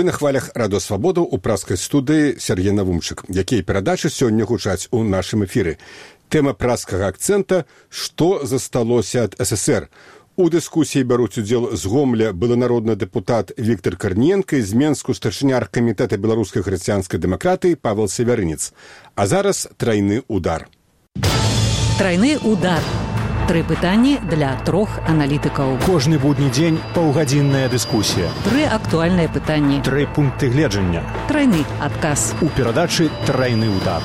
на хвалях радыёсвабоду ў праскай студыі Сергей Навумчык, якія перадачы сёння гучаць у нашым эфіры. Тэма праскага акцэнта «Што засталося ад СССР?». У дыскусіі бяруць удзел з Гомля былы народны дэпутат Віктор Карніенка і з Менску старшыня аргкамітэта беларускай хрысціянскай дэмакратыі Павел Севярынец. А зараз трайны удар. Трайны удар. 3 пытанні для 3 аналітыкаў. Кожны будні дзень паўгадзінная дыскусія. 3 актуальныя пытанні. 3 пункты гледжання. Трайны адказ. У перадачы «Трайны удар».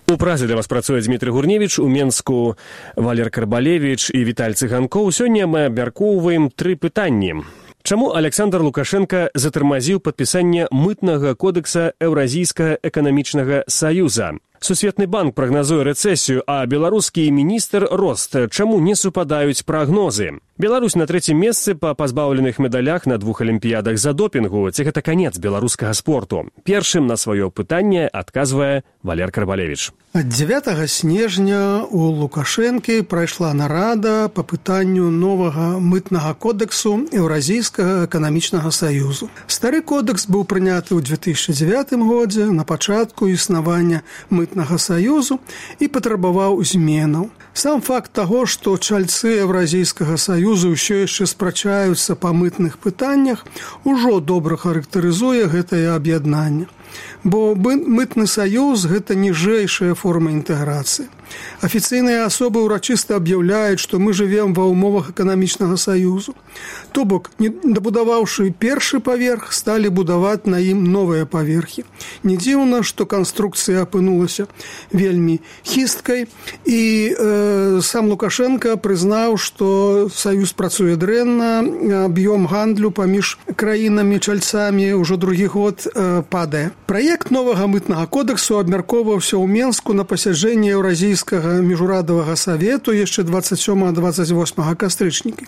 У Празе для вас працуе Дмітрый Гурневіч, у Менску Валер Карбалевіч і Віталь Цыганкоў. Сёння мы абмяркоўваем 3 пытанні. Чаму Александр Лукашенко затармазіў падпісанне мытнага кодекса Еўразійскага эканамічнага саюза? Сусветны банк прагназуе рэцэсію, а беларускі міністр рост. Чаму не супадаюць прагнозы? Беларусь на 3-м месцы па пазбаўленых медалях на 2 алімпіядах за допінгу. Ці гэта канец беларускага спорту? Першым на сваё пытанне адказвае Валер Карбалевіч. Ад 9 снежня у Лукашэнкі прайшла нарада па пытанню новага мытнага кодексу Еўразійскага эканамічнага саюзу. Стары кодекс быў прыняты ў 2009 годзе на пачатку існавання мытнага саюзу і патрабаваў зменаў. Сам факт таго, што чальцы Еўразійскага саюзу ўсё яшчэ спрачаюцца па мытных пытаннях, ужо добра характарызуе гэтае аб'яднанне. Бо мытны саюз – гэта ніжэйшая форма інтэграцыі. Афіцыйныя асобы ўрачыста аб'яўляюць, што мы жывем ва ўмовах эканамічнага саюзу. То бок, дабудаваўшы першы паверх, сталі будаваць на ім новыя паверхі. Не дзіўна, што канструкцыя апынулася вельмі хісткай, і сам Лукашенко прызнаў, што саюз працуе дрэнна, аб'ём гандлю паміж краінамі-чальцамі ўжо другі год падае. Праект новага мытнага кодексу абмяркоўваўся ў Менску на пасяджэнні Еўразійскага міжурадавага савету яшчэ 27-28 кастрычніка.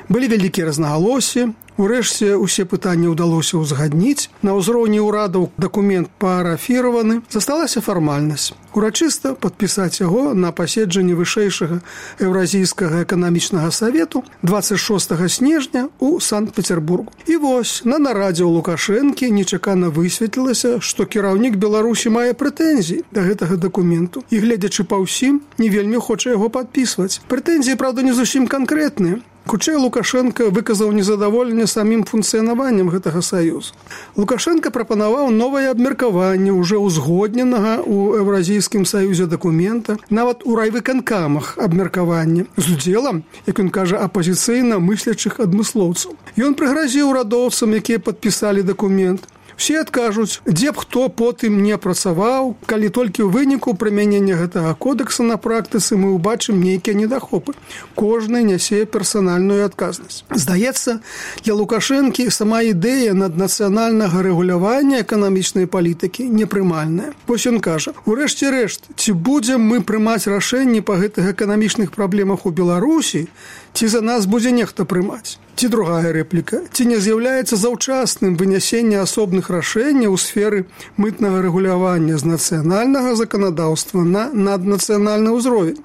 Былі вялікія рознагалоссі. Урэшце, усе пытанні ўдалося ўзгадніць. На ўзроўні ўрадаў дакумент паарафіраваны. Засталася фармальнасць. Урачыста падпісаць яго на паседжанні вышэйшага Еўразійскага эканамічнага савету 26 снежня ў Санкт-Петербургу. І вось, на нарадзе ў Лукашэнкі нечакана высветлілася, што кіраўнік Беларусі мае прэтэнзіі да гэтага дакументу. І, гледзячы па ўсім, не вельмі хоча яго падпісваць. Прэтэнзіі, правда, не зусім канкрэтныя. Хутчэй Лукашенко выказаў незадаволенне самім функцыянаваннем гэтага саюза. Лукашенко прапанаваў новае абмеркаванне ўжо ўзгодненага ў Еўразійскім саюзе дакумента, нават у райвыканкамах абмеркавання, з удзелам, як ён кажа, апазіцыйна мыслячых адмыслоўцаў. Ён прыгразіў урадоўцам, якія падпісалі дакумент. Усе адкажуць, дзе б хто потым не працаваў, калі толькі ў выніку прымянення гэтага кодекса на практыцы мы ўбачым нейкія недахопы. Кожны нясе персанальную адказнасць. Здаецца, для Лукашэнкі сама ідэя наднацыянальнага рэгулявання эканамічнай палітыкі непрымальная. Вось ён кажа, урэшце рэшт, ці будзем мы прымаць рашэнні па гэтых эканамічных праблемах у Беларусі, ці за нас будзе нехта прымаць? Ці другая рэпліка, ці не з'яўляецца заўчасным вынясенне асобных рашэнняў у сферы мытнага рэгулявання з нацыянальнага заканадаўства на наднацыянальны ўзровень?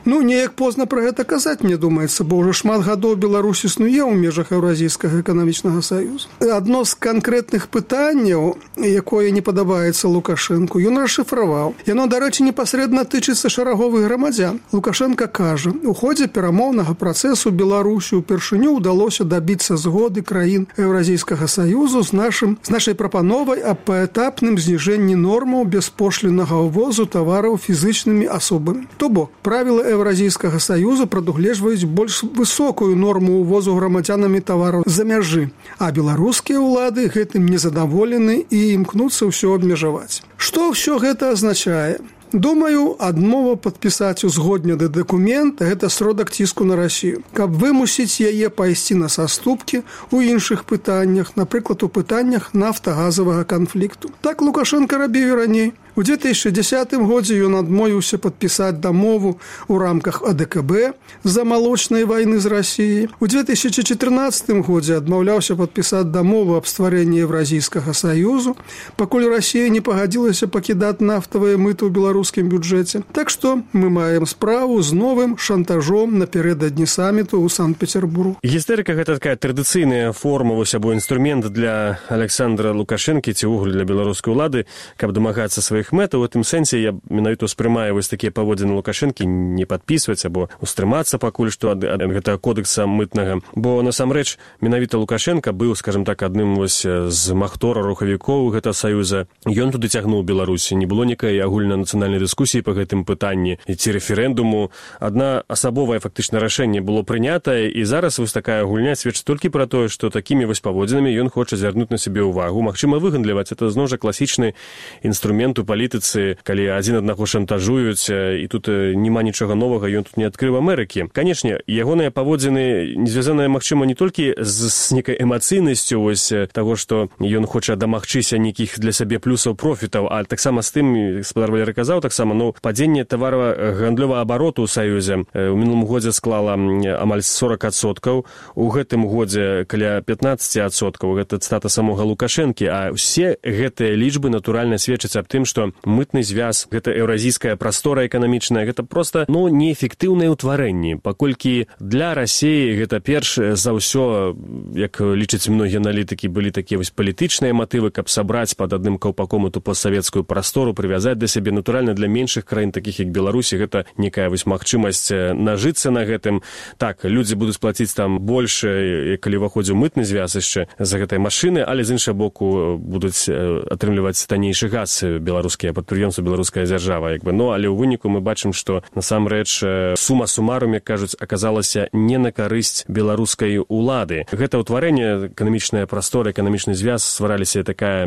Ну, неяк позна пра гэта казаць, мне думаецца, бо ўжо шмат гадоў Беларусь існуе ў межах Еўразійскага эканамічнага саюза. Адно з канкрэтных пытанняў, якое не падабаецца Лукашэнку, ён расшыфраваў. Яно, дарэчы, непасрэдна тычыцца шараговых грамадзян. Лукашенко кажа, у ходзе перамоўнага працэсу Беларусі ўпершыню ўдалося дабіцца згоды краін Еўразійскага саюзу з нашай прапановай аб паэтапным зніжэнні нормаў беспошліннага ўвозу тавараў фізычнымі асобамі. То бок, правілы Еўразійскага саюза прадугледжваюць больш высокую норму ўвозу грамадзянамі тавараў з-за мяжы, а беларускія ўлады гэтым незадаволены і імкнуцца ўсё абмежаваць. Што ўсё гэта азначае? Думаю, адмова падпісаць узгоднены дакумент – гэта сродак ціску на Расію. Каб вымусіць яе пайсці на саступкі ў іншых пытаннях, напрыклад, у пытаннях нафтагазавага канфлікту. Так Лукашенко рабіў і раней. У 2010 годзе ён адмовіўся падпісаць дамову ў рамках АДКБ з-за малочнай вайны з Расіяй. У 2014 годзе адмаўляўся падпісаць дамову аб стварэнні Еўразійскага саюзу, пакуль Расія не пагадзілася пакідаць нафтавыя мыты ў беларускім бюджэце. Так што мы маем справу з новым шантажом напярэдадні саміту ў Санкт-Петербургу. Гістэрыка – гэта такая традыцыйная форма, вось або інструмент для Александра Лукашэнкі ці ўвогуле для беларускай улады, каб дамагацца сваіх мэтаў. У тым сэнсе я менавіта успрымаю вось такія паводзіны Лукашэнкі не падпісваць або устрымацца пакуль што ад гэтага кодекса мытнага. Бо насамрэч менавіта Лукашенко быў, скажем так, адным вось з махтора рухавікоў гэтага саюза. Ён туды цягнуў Беларусь. Не было некай агульнанацыянальнай дыскусіі па гэтым пытанні ці рэферэндуму. Адна асабовае фактычна рашэнне было прынятае, і зараз вось такая гульня сведчыць толькі пра тое, што такімі вось паводзінамі ён хоча звярнуць на сябе ўвагу. Магчыма, выгандліваць. Это зноў жа класічны інструмент у палітыцы, калі адзін аднаго шантажуюць, і тут няма нічога новага, ён тут не адкрыў Амерыкі. Канечне, ягоныя паводзіны не звязаныя, магчыма, не толькі з некай эмацыйнасцю вось таго, што ён хоча дамагчыся нейкіх для сябе плюсаў профітаў, а таксама з тым, гаспадар Валерый казаў, таксама, падзенне таварагандлёвага абароту ў саюзе у мінулым годзе склала амаль 40%, у гэтым годзе каля 15%, гэта цытата самога Лукашэнкі, а ўсе гэтыя лічбы натуральна сведчаць аб тым, што мытны звяз, гэта еўразійская прастора эканамічная, гэта проста, неэфектыўнае ўтварэнне, паколькі для Расіі гэта перш за ўсё, як лічаць многія аналітыкі, былі такія вось палітычныя матывы, каб сабраць пад адным каўпаком эту постсавецкую прастору, прывязаць да сябе. Натуральна, для меншых краін, такіх як Беларусі, гэта некая вось магчымасць нажыцца на гэтым. Так, людзі будуць плаціць там больш, калі выходзіў мытны звяз яшчэ за гэтай машыны, але з іншага боку будуць атрымліваць таннейшы газ беларускія прадпрыемствы, беларуская дзяржава. Але ў выніку мы бачым, што насамрэч сума сумарум, як кажуць, аказалася не на карысць беларускай улады. Гэта ўтварэнне, эканамічная прастора, эканамічны звяз, ствараліся такая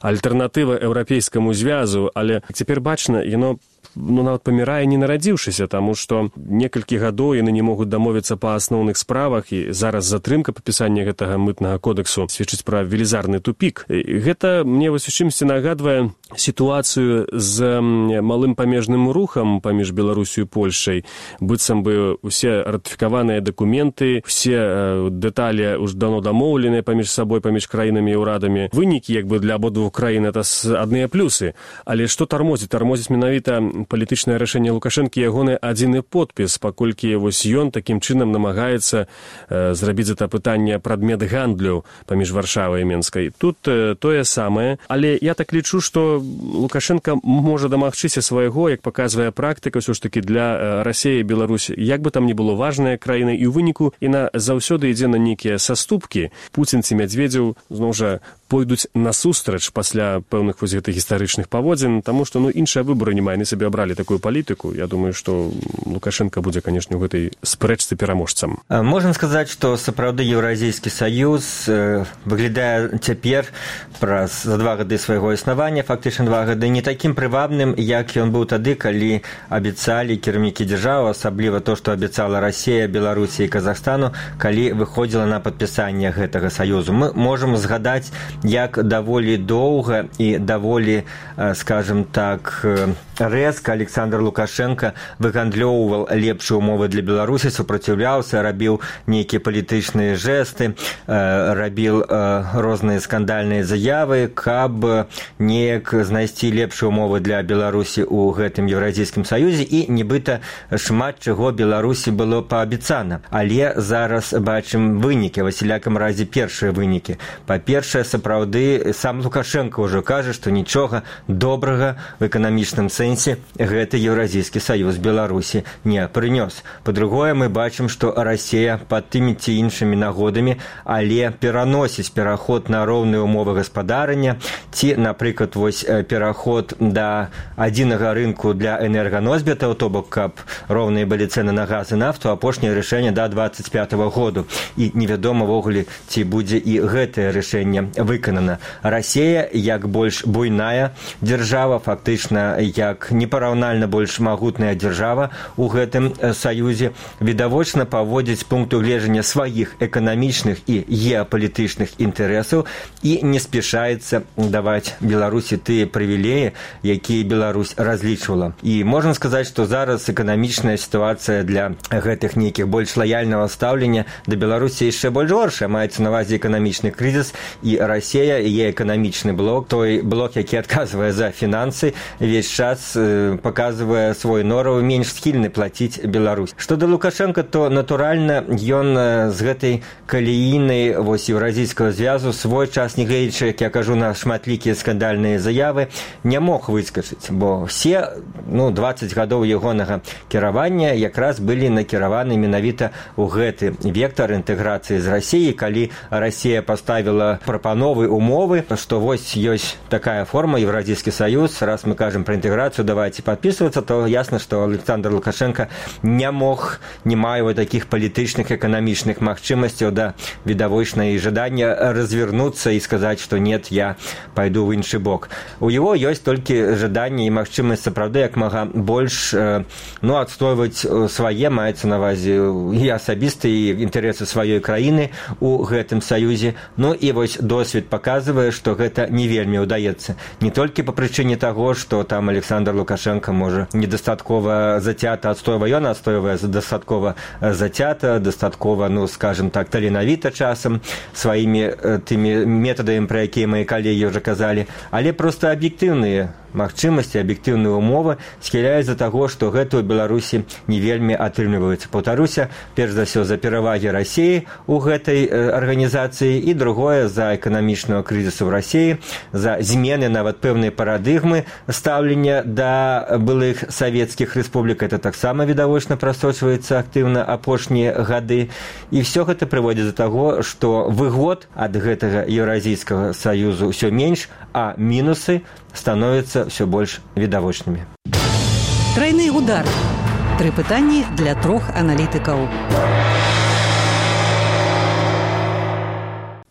альтэрнатыва еўрапейскаму звязу, але цяпер бачна, яно нават памірае не нарадзіўшыся, таму што некалькі гадоў яны не могуць дамовіцца па асноўных справах, і зараз затрымка падпісання гэтага мытнага кодексу сведчыць пра велізарны тупік. Гэта мне вось у чымсьці нагадвае сітуацыю з малым памежным рухам паміж Беларусю і Польшай. Быццам бы усе ратыфікаваныя дакументы, усе дэталі ўжо даўно дамоўленыя паміж сабой, паміж краінамі і ўрадамі. Вынікі для абодвух краін это адныя плюсы. Але што тармозіць? Тармозіць менавіта палітычнае рашэнне Лукашэнкі, ягоны адзіны подпіс, паколькі вось ён такім чынам намагаецца зрабіць гэта пытанне прадмет гандлю паміж Варшавай і Менскай. Тут тое самае, але я так лічу, што Лукашенко можа дамагчыся свайго, як паказвае практыка, ўсё ж такі для Расіі і Беларусі, як бы там ні было важная краіна, і ў выніку яна заўсёды ідзе на нейкія саступкі. Пуцін ці Мядзведзеў зноў жа пойдуць насустрач пасля пэўных вось гэтых гістарычных паводзін, таму што іншыя выбары не мае, яны сабе абралі такую палітыку. Я думаю, што Лукашенко будзе, канешне, ў гэтай спрэчцы пераможцам. Можна сказаць, што сапраўды Еўразійскі саюз выглядае цяпер за 2 гады свайго існавання, фактычна 2 гады, не такім прывабным, як ён быў тады, калі абяцалі кіраўнікі дзяржавы, асабліва то, што абяцала Расія, Беларусі і Казахстану, калі выходзіла на падпісанне гэтага саюзу. Мы можам згадаць, як даволі доўга і даволі, скажем так, рэзка Александр Лукашенко выгандлёўваў лепшыя ўмовы для Беларусі, супраціўляўся, рабіў нейкія палітычныя жэсты, рабіў розныя скандальныя заявы, каб неяк знайсці лепшыя ўмовы для Беларусі ў гэтым Еўразійскім саюзе, і нібыта шмат чаго Беларусі было паабяцана. Але зараз бачым вынікі, ва ўсялякім разе першыя вынікі. Па-першае, сапраўды сам Лукашенко ўжо кажа, што нічога добрага в эканамічным сэнсе гэты Еўразійскі саюз Беларусі не прынёс. Па-другое, мы бачым, што Расія пад тымі ці іншымі нагодамі, але пераносіць пераход на роўныя ўмовы гаспадарання, ці, напрыклад, вось пераход да адзінага рынку для энерганосьбітаў, то бок, каб роўныя былі цэны на газ і нафту, апошняе рашэнне да 25-го году. І невядома ввогуле, ці будзе і гэтае рашэнне выканана. выканана. Расія, як больш буйная дзяржава, фактычна як непараўнальна больш магутная дзяржава у гэтым саюзе, відавочна паводзіць пункту гледжання сваіх эканамічных і геапалітычных інтарэсаў і не спяшаецца даваць Беларусі тыя прывілеі, якія Беларусь разлічвала. І можна сказаць, што зараз эканамічная сітуацыя для гэтых нейкіх больш лаяльнага стаўлення да Беларусі яшчэ больш горшая. Маецца на ўвазе эканамічны крызіс, і Расія, яе эканамічны блок, той блок, які адказвае за фінансы, весь час паказвае свой нораў менш схільны плаціць Беларусь. Што да Лукашенка, то натуральна ён з гэтай калііны еўразійскага звязу свой час, не гледзячы, як я кажу, на шматлікія скандальныя заявы, не мог выскачыць, бо все 20 гадоў ягонага кіравання якраз былі накіраваны менавіта ў гэты вектар інтэграцыі з Расіяй, калі Расія паставіла прапановы, умовы, што вось ёсць такая форма, Еўразійскі саюз, раз мы кажам пра інтэграцыю, давайте падпісвацца, то ясна, што Александр Лукашенко не мае такіх палітычных, эканамічных магчымасцяў да відавочнай жадання развернуцца і сказаць, што нет, я пайду ў іншы бок. У яго ёсць толькі жаданне і магчымасць сапраўды як мага больш адстойваць свае, маецца на ўвазе і асабістыя інтарэсы сваёй краіны у гэтым саюзе. І вось досвед паказвае, што гэта не вельмі ўдаецца. Не толькі па прычыне таго, што там Александр Лукашенко можа недастаткова зацята адстойвае, ён адстойвае дастаткова зацята, дастаткова, скажем так, таленавіта часам сваімі тымі метадамі, пра якія мои калегі ўжо казалі, але проста аб'ектыўныя магчымасці, аб'ектыўныя умовы схіляюць за таго, што гэта ў Беларусі не вельмі атрымліваецца. Паўтаруся, перш за ўсё за перавагі Расіі ў гэтай арганізацыі і другое за эканамічнага крызісу ў Расіі, за змены нават пэўнай парадыгмы стаўлення да былых савецкіх рэспублік. Это таксама відавочна прасочваецца актыўна апошнія гады. І ўсё гэта прыводзіць да таго, што выгод ад гэтага Еўразійскага саюзу ўсё менш, а мінусы становятся все больш відавочнымі. Трайны удар. 3 пытанні для 3 аналітыкаў.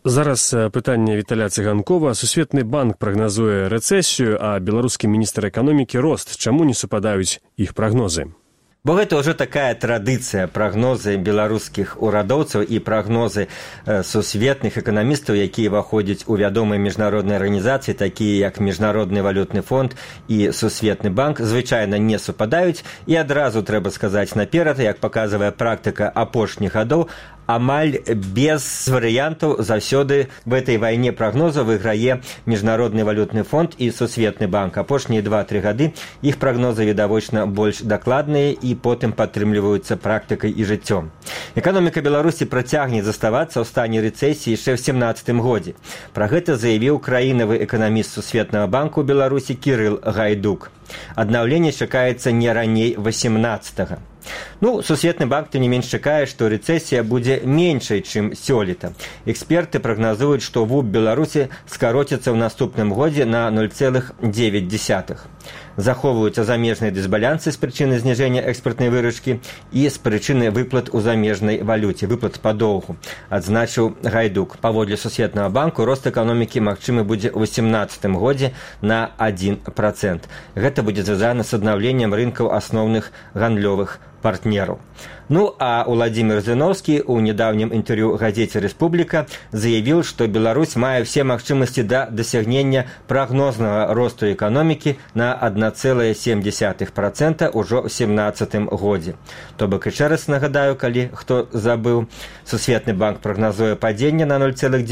Зараз пытанне Віталя Цыганкова. Сусветны банк прагназуе рэцэсію, а беларускі міністр эканомікі рост. Чаму не супадаюць іх прагнозы? Бо гэта ўжо такая традыцыя, прагнозы беларускіх урадоўцаў і прагнозы сусветных эканамістаў, якія ўваходзяць у вядомыя міжнародныя арганізацыі, такія як Міжнародны валютны фонд і Сусветны банк, звычайна не супадаюць. І адразу трэба сказаць наперад, як паказвае практыка апошніх гадоў, амаль без варыянтаў заўсёды в этой вайне прагнозаў выйграе Міжнародны валютны фонд і Сусветны банк. Апошнія 2-3 гады іх прагнозы відавочна больш дакладныя і потым падтрымліваюцца практыкай і жыццём. Эканоміка Беларусі працягне заставацца ў стане рэцэсіі яшчэ ў 2017 годзе. Пра гэта заявіў краінавы эканаміст Сусветнага банку ў Беларусі Кірыл Гайдук. Аднаўленне чакаецца не раней 18-го. Сусветны банк тым не менш чакае, што рэцэсія будзе меншай, чым сёлета. Эксперты прагназуюць, што ВУБ Беларусі скароціцца ў наступным годзе на 0,9. Захоўваюцца замежныя дысбалянсы з прычыны зніжэння экспартнай выручкі і з прычыны выплат у замежнай валюце, выплат па доўгу, адзначыў Гайдук. Паводле Сусветнага банку рост эканомікі магчымы будзе ў 2018 годзе на 1%. Гэта будзе звязана з аднаўленнем рынкаў асноўных гандлёвых партнераў. А Уладзімір Зіноўскі ў нядаўнім інтэрв'ю газеце «Рэспубліка» заявіў, што Беларусь мае ўсе магчымасці да дасягнення прагнознага росту эканомікі на 1,7% ўжо ў 2017 годзе. То бок, яшчэ раз нагадаю, калі хто забыў, Сусветны банк прагназуе падзенне на 0,9%,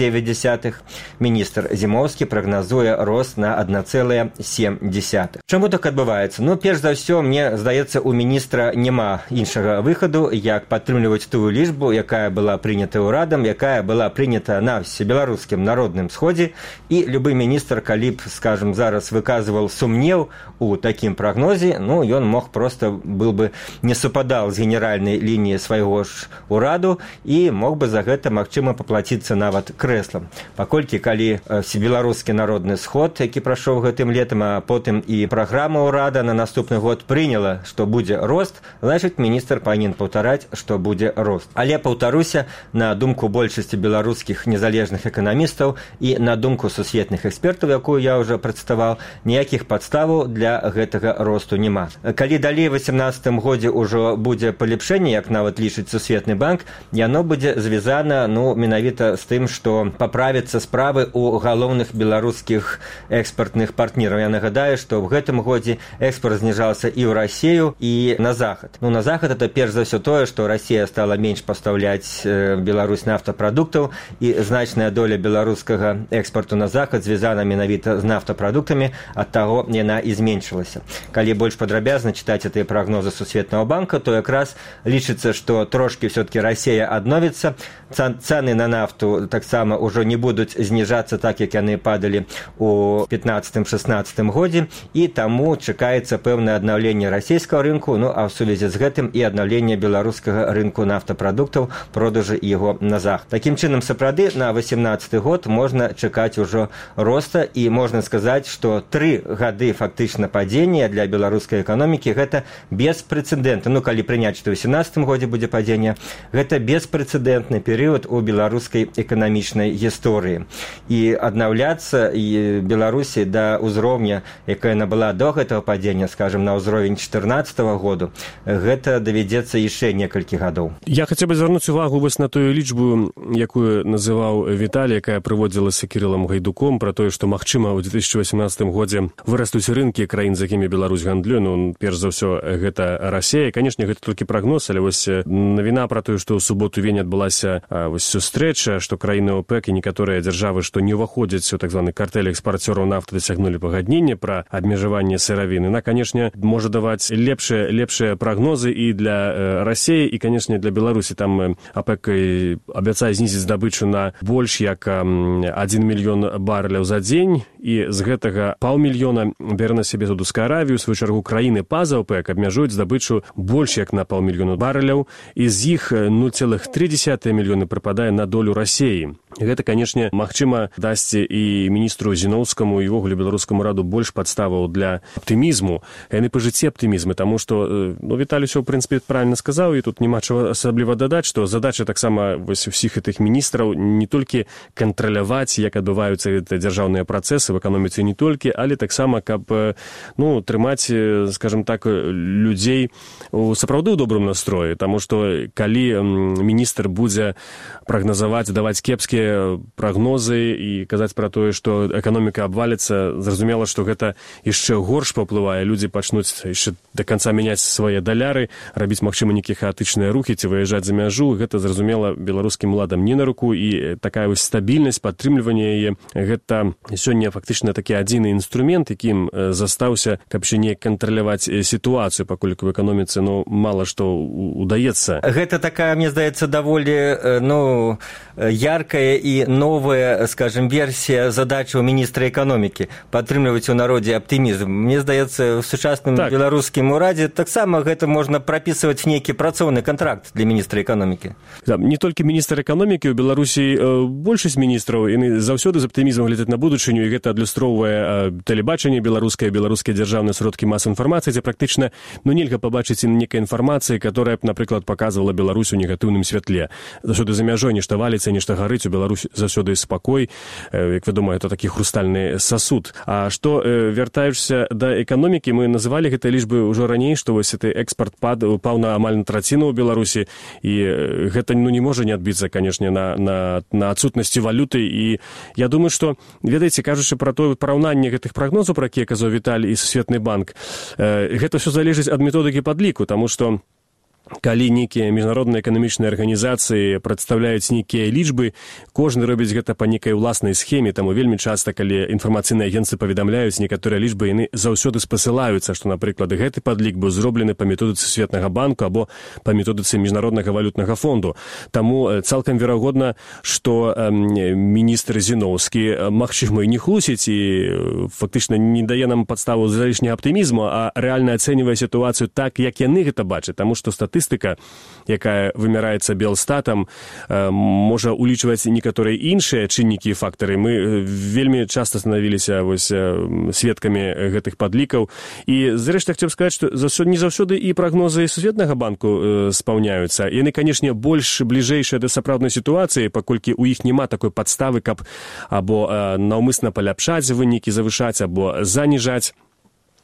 міністр Зімоўскі прагназуе рост на 1,7%. Чаму так адбываецца? Перш за ўсё, мне здаецца, у міністра няма іншага выхаду, як падтрымліваць тую лічбу, якая была прынята ўрадам, якая была прынята на всебеларускім народным сходзе. І любы міністр, калі б, скажем, зараз выказваў сумнеў у такім прагнозе, ну, ён мог просто был бы не супадал з генеральнай лініі свайго ж ураду і мог бы за гэта, магчыма, паплаціцца нават крэслам. Паколькі, калі беларускі народны сход, які прайшоў гэтым летам, а потым і праграма ўрада на наступны год прыняла, што будзе рост, значыць, міністр павінен паўтараць, што будзе рост. Але, паўтаруся, на думку большасці беларускіх незалежных эканамістаў і на думку сусветных экспертаў, якую я ўжо прадставаў, ніякіх падставаў для гэтага росту няма. Калі далей у 2018 годзе ўжо будзе палепшэнне, як нават лічыць Сусветны банк, яно будзе звязана, ну, менавіта з тым, што паправяцца справы ў галоўных беларускіх экспартных партнераў. Я нагадаю, што в гэтым годзе экспорт зніжаўся і ў Расію, і на захад. Ну, на захад это перш за ўсё тое, што Расія стала менш пастаўляць Беларусь нафтапрадуктаў, і значная доля беларускага экспорту на захад звязана менавіта з нафтапрадуктамі, ад таго яна і зменшылася. Калі больш падрабязна чытаць гэтыя прагнозы Сусветнага банка, то якраз лічыцца, што трошкі все-таки Расія адновіцца, цэны на нафту таксама ўжо не будуць зніжацца так, як яны падалі у 15-16 годзе, і таму чакаецца пэўнае аднаўленне расійскага рынку, ну а ў сувязі з гэтым і аднаўленне беларускага рынку нафтапрадуктаў, продажы яго на захад. Такім чынам, сапраўды, на 18 год можна чакаць ужо роста, і можна сказаць, што 3 гады фактычна падзення для беларускай эканомікі гэта беспрэцэдэнтна. Ну, калі прыняць, што ў 18 годзе будзе падзення, гэта беспрэцэдэнтны перыяд у беларускай эканамічнай гісторыі. І аднаўляцца і Беларусі да ўзроўня, якая яна была до гэтага падзення, скажем, на ўзровень 2014 году, гэта давядзецца яшчэ некалькі гадоў. Я хацеў бы звярнуць увагу вось на тую лічбу, якую называў Віталій, якая прыводзілася Кірылам Гайдуком, пра тое, што, магчыма, у 2018 годзе вырастуць рынкі краін, з якімі Беларусь гандлюе. Ну, перш за ўсё, гэта Расія. Канешне, гэта толькі прагноз, але вось навіна пра тое, што ў суботу-вень адбылася вось сустрэча, што краіны ОПЕК і некаторыя дзяржавы, што не ўваходзяць у так званы картэль экспарцёраў нафты, дасягнулі пагаднення пра абмежаванне сыравіны. На, канешне, можа даваць лепшыя прагнозы і для Расіі, і, канешне, для Беларусі. Там ОПЕК абяцае знізіць здабычу на больш як 1 мільён барэляў за дзень, і з гэтага 500 000 бярэ на сябе Саудаўская Аравія. У сваю чаргу, краіны па-за ОПЕК абмяжуюць здабычу больш як на 500 000 барэляў, і з іх 0,3 мільёны прыпадае на долю Расіі. Гэта, канешне, магчыма, дасць і міністру Зіноўскаму і ўвогуле беларускаму раду больш падставаў для аптымізму. Яны па жыцці аптымізмы, таму што, ну, Віталій усё, ў прынцыпе, правільна сказаў, і тут няма чаго асабліва дадаць, што задача таксама вось усіх гэтых міністраў не толькі кантраляваць, як адбываюцца дзяржаўныя працэсы в эканоміцы, не толькі, але таксама, каб, ну, трымаць, скажем так, людзей сапраўды ў добрым настроі, таму што калі міністр будзе прагназаваць, даваць кепскія прагнозы і казаць пра тое, што эканоміка абваліцца, зразумела, што гэта яшчэ горш паўплывае. Людзі пачнуць яшчэ да канца мяняць свае даляры, рабіць, магчыма, нейкія хаатычныя рухі ці выязджаць за мяжу. Гэта, зразумела, беларускім уладам не на руку, і такая вось стабільнасць, падтрымліванне яе, гэта сёння фактычна такі адзіны інструмент, якім застаўся, каб ще не кантраляваць сітуацыю, паколькі ў эканоміцы, ну, мала што удаецца. Гэта такая, мне здаецца, даволі, ну, яркая і новая, скажем, версія задачы ў міністра эканомікі падтрымліваць у народзе аптымізм. Мне здаецца, в сучасным беларускім урадзе таксама гэта можна прапісваць нейкі працоўны кантракт для міністра эканомікі. Не толькі міністр эканомікі, у Беларусі большасць міністраў, яны заўсёды з аптымізмам глядзяць на будучыню, і гэта адлюстроўвае тэлебачанне беларускае дзяржаўныя сродкі масавай інфармацыі, дзе практычна, ну, нельга пабачыць нейкай інфармацыі, которая б, напрыклад, паказвала Беларусь у негатыўным святле. Заўсёды за мяжой нешта валіцца, нешта гарыць, у Беларусь заўсёды спакой, як вядома, это такі хрустальны сасуд. А што, вяртаючыся да эканомікі, мы называлі гэтай лічбы ўжо раней, што вось гэты экспарт паў на амаль на траціну ў Беларусі, і гэта, ну, не можа не адбіцца, канешне, на адсутнасці валюты. І я думаю, што, ведаеце, кажучы пра тое параўнанне гэтых прагнозаў, пра якія казаў Віталій і Сусветны банк, гэта ўсё залежыць ад методыкі падліку, таму што калі нейкія міжнародныя эканамічныя арганізацыі прадстаўляюць нейкія лічбы, кожны робіць гэта па нейкай уласнай схеме, таму вельмі часта, калі інфармацыйныя агенцыі паведамляюць некаторыя лічбы, яны заўсёды спасылаюцца, што, напрыклад, гэты падлік быў зроблены па методыцы Светнага банку або па методыцы міжнароднага валютнага фонду. Таму цалкам верагодна, што міністр Зіноўскі, магчыма, і не хлусіць і фактычна не дае нам падставу залішняга аптымізму, а рэальна ацэньвае сітуацыю так, як яны гэта бачаць, таму што статыстыка, якая вымяраецца Белстатам, можа улічваць некаторыя іншыя чыннікі і фактары. Мы вельмі часта станавіліся сведкамі гэтых падлікаў. І, зрэшты, хацеў сказаць, што не заўсёды і прагнозы Сусветнага банку спаўняюцца. Яны, канешне, больш бліжэйшыя да сапраўднай сітуацыі, паколькі ў іх няма такой падставы, каб або наўмысна паляпшаць вынікі, завышаць, або заніжаць.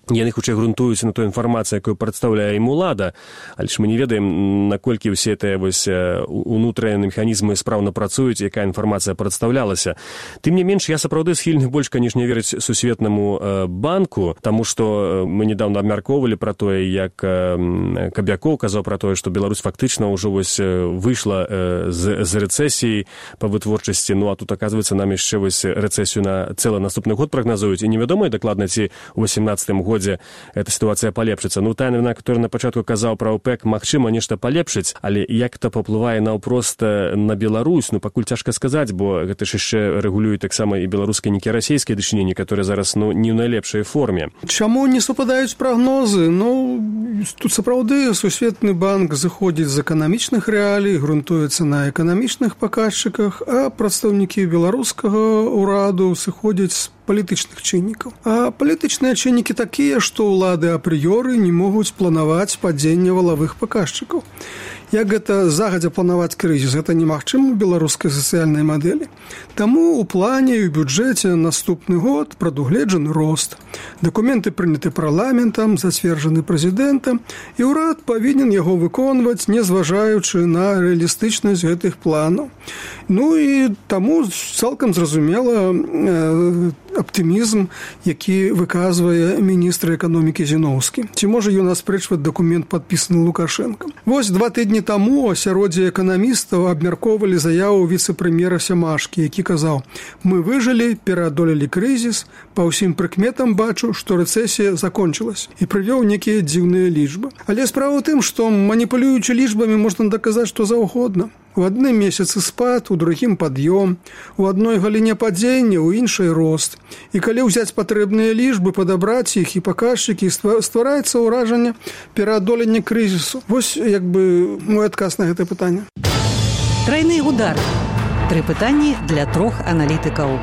Яны хутчэй грунтуюцца на той інфармацыі, якую прадстаўляе ім улада, але ж мы не ведаем, наколькі ўсе тыя унутраныя механізмы спраўна працуюць, якая інфармацыя прадстаўлялася. Тым не менш, я сапраўды схільны больш, канешне, верыць Сусветнаму банку, таму што мы недавно абмяркоўвалі пра тое, як Кабякоў казаў пра тое, што Беларусь фактычна ўжо выйшла з рэцэсіі па вытворчасці, ну а тут, аказваецца, нам яшчэ рэцэсію на цэлы наступны год прагназуюць, і невядома дакладна, ці ў 18-м годзе эта сітуацыя палепшыцца. Ну, тая навіна, которая на пачатку казаў пра ОПЕК, магчыма, нешта палепшыць, але як это паўплывае наўпрост на Беларусь, ну, пакуль цяжка сказаць, бо гэта ж яшчэ рэгулюе таксама і беларускай, нейкія расійскія дачыненні, которые зараз, ну, не ў найлепшай форме. Чаму не супадаюць прагнозы? Ну, тут сапраўды Сусветны банк зыходзіць з эканамічных рэалій, грунтуецца на эканамічных паказчыках, а прадстаўнікі беларускага ўраду сыходзяць з палітычных чыннікаў. А палітычныя чыннікі такія, што ўлады апрыёры не могуць планаваць падзенне валавых паказчыкаў. Як гэта загадзя планаваць крызіс, гэта немагчыма ў беларускай сацыяльнай мадэлі. Таму ў плане і ў бюджэце наступны год прадугледжаны рост. Дакументы прыняты парламентам, зацверджаны прэзідэнтам, і ўрад павінен яго выконваць, не зважаючы на рэалістычнасць гэтых планаў. Ну і таму цалкам зразумела аптымізм, які выказвае міністр эканомікі Зіноўскі. Ці можа ён аспрэчваць дакумент, падпісаны Лукашэнкам? Вось 2 тыдні таму асяроддзе эканамістаў абмяркоўвалі заяву віцэ-прэм'ера Сямашкі, які казаў: «Мы выжылі, пераадолелі крызіс, па ўсім прыкметам бачу, што рэцэсія закончылась», і прывёў некія дзіўныя лічбы. Але справа ў тым, што маніпулюючы лічбамі можна даказаць што заўгодна. У адным месяцы спад, у другім пад'ём, у адной галіне падзення, у іншай рост. І калі ўзяць патрэбныя лічбы, падабраць іх і паказчыкі, ствараецца ўражанне пераадолення крызісу. Вось як бы мой адказ на гэта пытанне. Трайны удар. 3 пытанні для 3 аналітыкаў.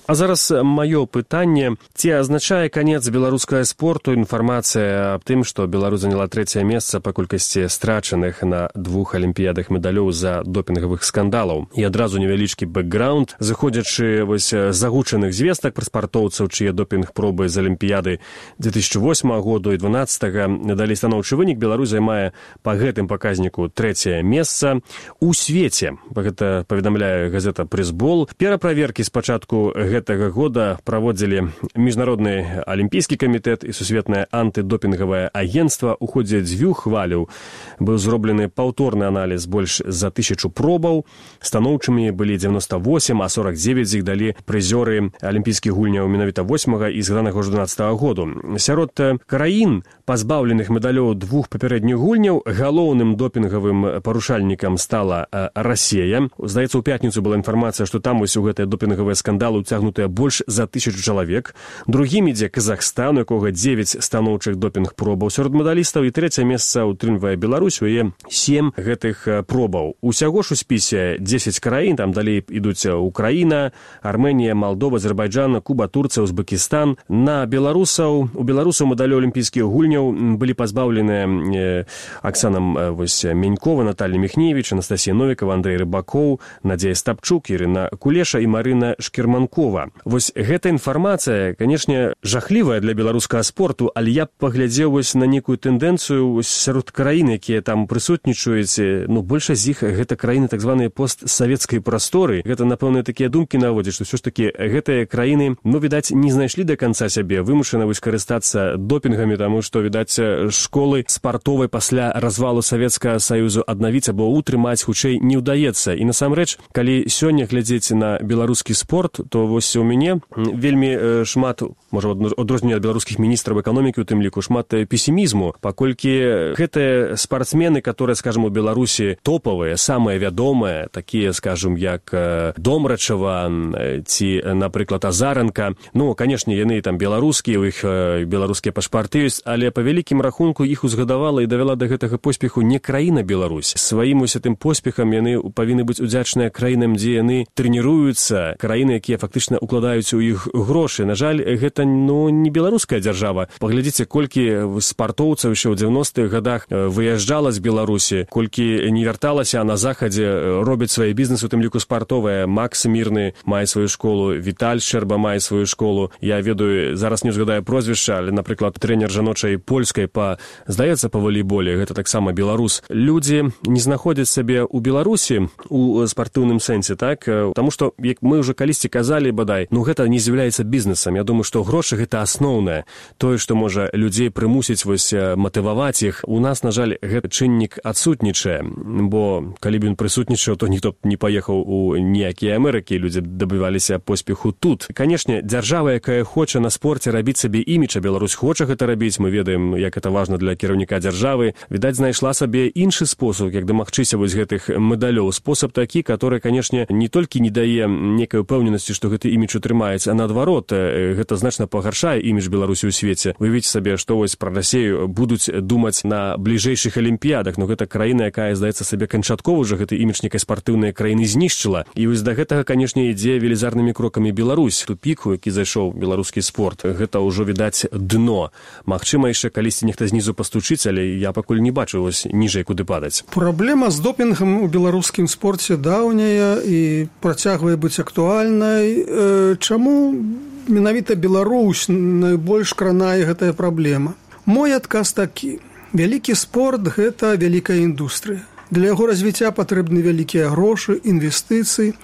А зараз маё пытанне. Ці азначае канец беларускага спорту інфармацыя аб тым, што Беларусь заняла 3-е месца па колькасці страчаных на 2 алімпіядах медалёў за допінгавых скандалаў? І адразу невялічкі бэкграунд. Заходзячы з агучаных звестак пра спартоўцаў, чые допінг-пробы з алімпіяды 2008 году і 2012 далі станоўчы вынік, Беларусь займае па гэтым паказніку 3-е месца у свеце. Гэта паведамляе газета «Пресбол». Пераправеркі спачатку гэтага года праводзілі Міжнародны алімпійскі камітэт і Сусветнае антыдопінгавае агенцтва. У ходзе 2 хваляў быў зроблены паўторны аналіз больш за 1000 пробаў. Станоўчымі былі 98, а 49 з іх далі прызёры алімпійскіх гульняў менавіта 8 і згаданага 12 году. Сярод краін, пазбаўленых медалёў 2 папярэдніх гульняў, галоўным допінгавым парушальнікам стала Расія. Здаецца, у пятніцу была інфармацыя, што там вось у гэтыя допінгавыя скандалы ўцягнутыя больш за 1000 чалавек. Другім ідзе Казахстан, у якога 9 станоўчых допінг-пробаў сярод медалістаў, і 3-е месца ўтрымлівае Беларусь, у яе 7 гэтых пробаў. Усяго ж у спісе 10 краін, там далей ідуць Украіна, Арменія, Малдова, Азербайджан, Куба, Турцыя, Узбекістан. У беларусаў медалёў алімпійскіх гульняў былі пазбаўленыя Аксана Менькова, Наталья Міхневіч, Анастасія Новікова, Андрэй Рыбакоў, Надзея Стапчук, Ірына Кулеша і Марына Шкерманкова. Москва. Вось гэта інфармацыя, канешне, жахлівая для беларускага спорту, але я паглядзеў вось на некую тэндэнцыю сярод краін, якія там прысутнічаюць. Большасць з іх гэта краіны так званыя постсавецкай прасторы. Гэта, напэўна, такія думкі наводзяць, што ўсё ж такі гэтыя краіны, відаць, не знайшлі да канца сябе, вымушаны вось карыстацца допінгамі, таму што, відаць, школы спартовай пасля развалу Савецкага Саюзу аднавіць або утрымаць хутчэй не ўдаецца. І насамрэч, калі сёння глядзець на беларускі спорт, то вось у мяне вельмі шмат, можа, адрозненне ад беларускіх міністраў эканомікі, у тым ліку, шмат песімізму, паколькі гэтыя спартсмены, которые, скажем, у Беларусі топавыя, самыя вядомыя, такія, скажем, як Домрачева ці, напрыклад, Азаренка, канешне, яны там беларускія, у іх беларускія пашпарты ёсць, але па вялікім рахунку іх узгадавала і давяла да гэтага поспеху не краіна Беларусь. Сваім усім поспехам яны павінны быць удзячныя краінам, дзе яны трэніруюцца, краіны, якія фактычна укладаюць у іх грошы. На жаль, гэта не беларуская дзяржава. Паглядзіце, колькі спартоўцаў яшчэ ў 90-х годах выязджала з Беларусі, колькі не вярталася, а на захадзе робяць свае бізнесы, у тым ліку спартовыя. Макс Мірны мае сваю школу, Віталь Шчэрба мае сваю школу. Я ведаю, зараз не згадаю прозвішча, але, напрыклад, трэнер жаночай польскай здаецца, па валейболе, гэта таксама беларус. Людзі не знаходзяць сябе ў Беларусі у спартыўным сэнсе, так? Таму што, як мы ўжо калісьці казалі, бадай, гэта не з'яўляецца бізнесам. Я думаю, што грошы гэта асноўнае. Тое, што можа людзей прымусіць вось матываваць іх. У нас, на жаль, гэты чыннік адсутнічае, бо калі б ён прысутнічаў, то ніхто б не паехаў у ніякія Амерыкі, людзі дабываліся поспеху тут. Канешне, дзяржава, якая хоча на спорце рабіць сабе імідж, а Беларусь хоча гэта рабіць, мы ведаем, як гэта важна для кіраўніка дзяржавы, відаць, знайшла сабе іншы спосаб, як дамагчыся вось гэтых медалёў. Спосаб такі, который, канешне, не толькі не дае некай упэўненасці, што гэты імідж утрымаецца, а наадварот, гэта значна пагаршае імідж Беларусі ў свеце. Уявіце сабе, што вось пра Расію будуць думаць на бліжэйшых алімпіядах, гэта краіна, якая, здаецца сабе, канчаткова ўжо гэты імідж некай спартыўнай краіны знішчыла. І вось да гэтага, канешне, ідзе велізарнымі крокамі Беларусь. Тупік, у які зайшоў беларускі спорт, гэта ўжо, відаць, дно. Магчыма, яшчэ калісьці нехта знізу пастучыць, але я пакуль не бачу вось ніжэй куды падаць. Праблема з допінгам у беларускім спорце даўняя і працягвае быць актуальнай. Чаму менавіта Беларусь найбольш кранае гэтая праблема? Мой адказ такі. Вялікі спорт – гэта вялікая індустрыя. Для яго развіцця патрэбны вялікія грошы, інвестыцыі.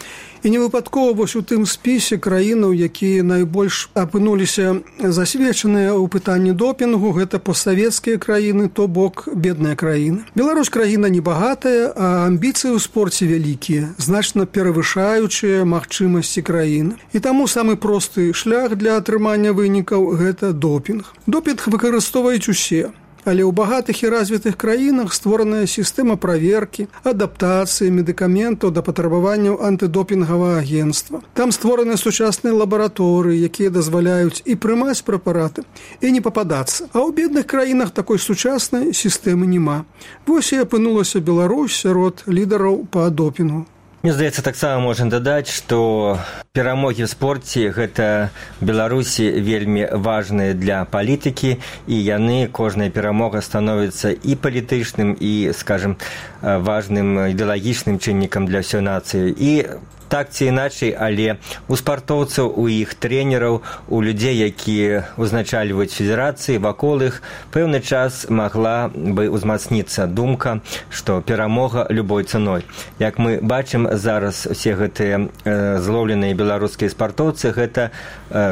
І не выпадкова вось у тым спісе краінаў, якія найбольш апынуліся засведчаныя ў пытанні допінгу, гэта постсавецкія краіны, то бок бедная краіна. Беларусь краіна небагатая, а амбіцыі ў спорце вялікія, значна перавышаючыя магчымасці краіны. І таму самы просты шлях для атрымання вынікаў – гэта допінг. Допінг выкарыстоўваюць усе. Але ў багатых і развітых краінах створаная сістэма праверкі, адаптацыі медыкаментаў да патрабаванняў антыдопінгавага агенцтва. Там створаны сучасныя лабараторыі, якія дазваляюць і прымаць прэпараты, і не пападацца. А ў бедных краінах такой сучаснай сістэмы няма. Вось і апынулася Беларусь сярод лідараў па допінгу. Мне здаецца, таксама можна дадаць, што перамогі ў спорце гэта Беларусі вельмі важныя для палітыкі, і яны, кожная перамога становіцца і палітычным, і, скажем, важным ідэалагічным чыннікам для ўсёй нацыі. І так ці іначай, але у спартоўцаў, у іх трэнераў, у людзей, якія узначальваюць федэрацыі, вакол іх пэўны час магла бы ўзмацніцца думка, што перамога любой цаной. Як мы бачым зараз, усе гэтыя злоўленыя беларускія спартоўцы, гэта,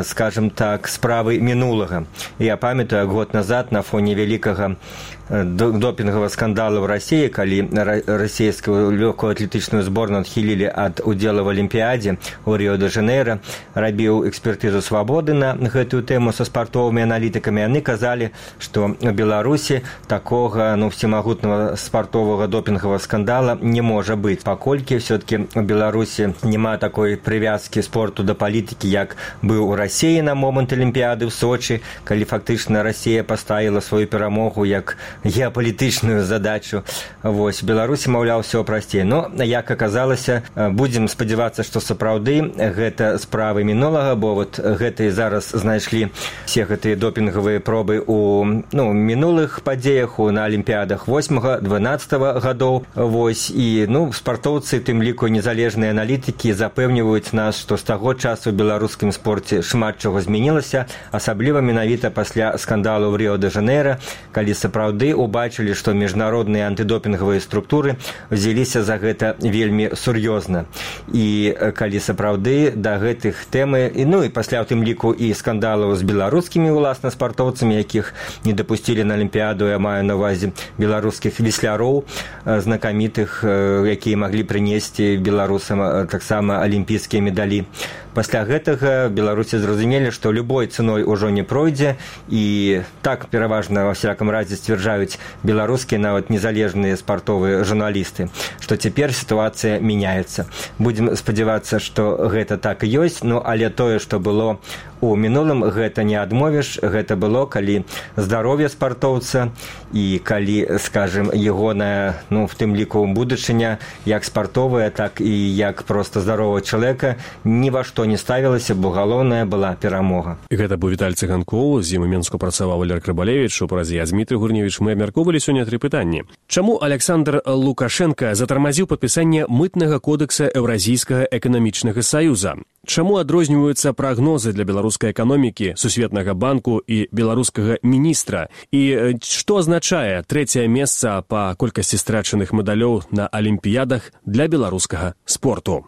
скажем так, справы мінулага. Я памятаю, год назад на фоне вялікага допінгавага скандала ў Расіі, калі расійскую лёгкую атлетычную зборную адхілілі ад удзела в Алімпіядзе ў Ріо-де-Жанейра, рабіў экспертызу «Свабоды» на гэтую тэму са спартовымі аналітыкамі. Яны казалі, што ў Беларусі такога всемагутнага спартовага допінгавага скандала не можа быць, паколькі ўсё-такі ў Беларусі няма такой прывязкі спорту да палітыкі, як быў у Расіі на момант Алімпіяды ў Сочы, калі фактычна Расія паставіла сваю перамогу як геапалітычную задачу. Вось, Беларусі, маўляў, усё прасцей. Но, як аказалася, будзем спадзявацца спадзявацца, што сапраўды гэта справы мінулага, бо вот гэтыя зараз знайшлі все гэтыя допінгавыя пробы у мінулых падзеях, на алімпіядах 8-12 гадоў. Вось, і спартоўцы, тым ліку незалежныя аналітыкі запэўніваюць нас, што з таго часу ў беларускім спорце шмат чаго змянілася, асабліва менавіта пасля скандалу ў Ріо-де-Жанейра, калі сапраўды убачылі, што міжнародныя антыдопінгавыя структуры взяліся за гэта вельмі сур'ёзна. І калі сапраўды да гэтых тэмы, і пасля ў тым ліку і скандалаў з беларускімі уласна спартоўцамі, якіх не дапусцілі на алімпіяду, я маю на ўвазе беларускіх весляроў знакамітых, якія маглі прынесці беларусам таксама алімпійскія медалі. Пасля гэтага беларусы зразумелі, што любой цэной ужо не пройдзе, і так пераважна ва всякам разе сцвярджаюць беларускія нават незалежныя спартовыя журналісты, што цяпер сітуацыя мяняецца. Будзем спадзявацца, што гэта так і ёсць, але тое, што было у мінулым, гэта не адмовіш. Гэта было, калі здароўе спартоўца і калі, скажем, ягоная, в тым ліку будучыня, як спартовая, так і як проста здаровага чалавека, ні ва што не ставілася, бо галоўная была перамога. Гэта быў Віталь Цыганкоў, з ім у Менску працаваў Валер Карбалевіч, у празе я Дмітрый Гурневіч. Мы абмяркоўвалі сёння 3 пытанні. Чаму Александр Лукашенко затармазіў падпісанне мытнага кодекса Еўразійскага эканамічнага саюза? Чаму адрозніваюцца прагнозы для беларускай эканомікі, Сусветнага банку і беларускага міністра? І што азначае 3-е месца па колькасці страчаных медалёў на алімпіядах для беларускага спорту?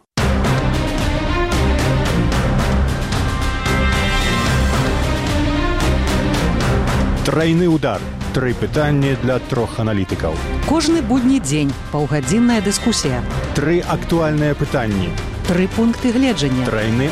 Трайны удар. 3 пытанні для 3 аналітыкаў. Кожны будні дзень паўгадзінная дыскусія. 3 актуальныя пытанні. 3 пункты гледжання. Трайны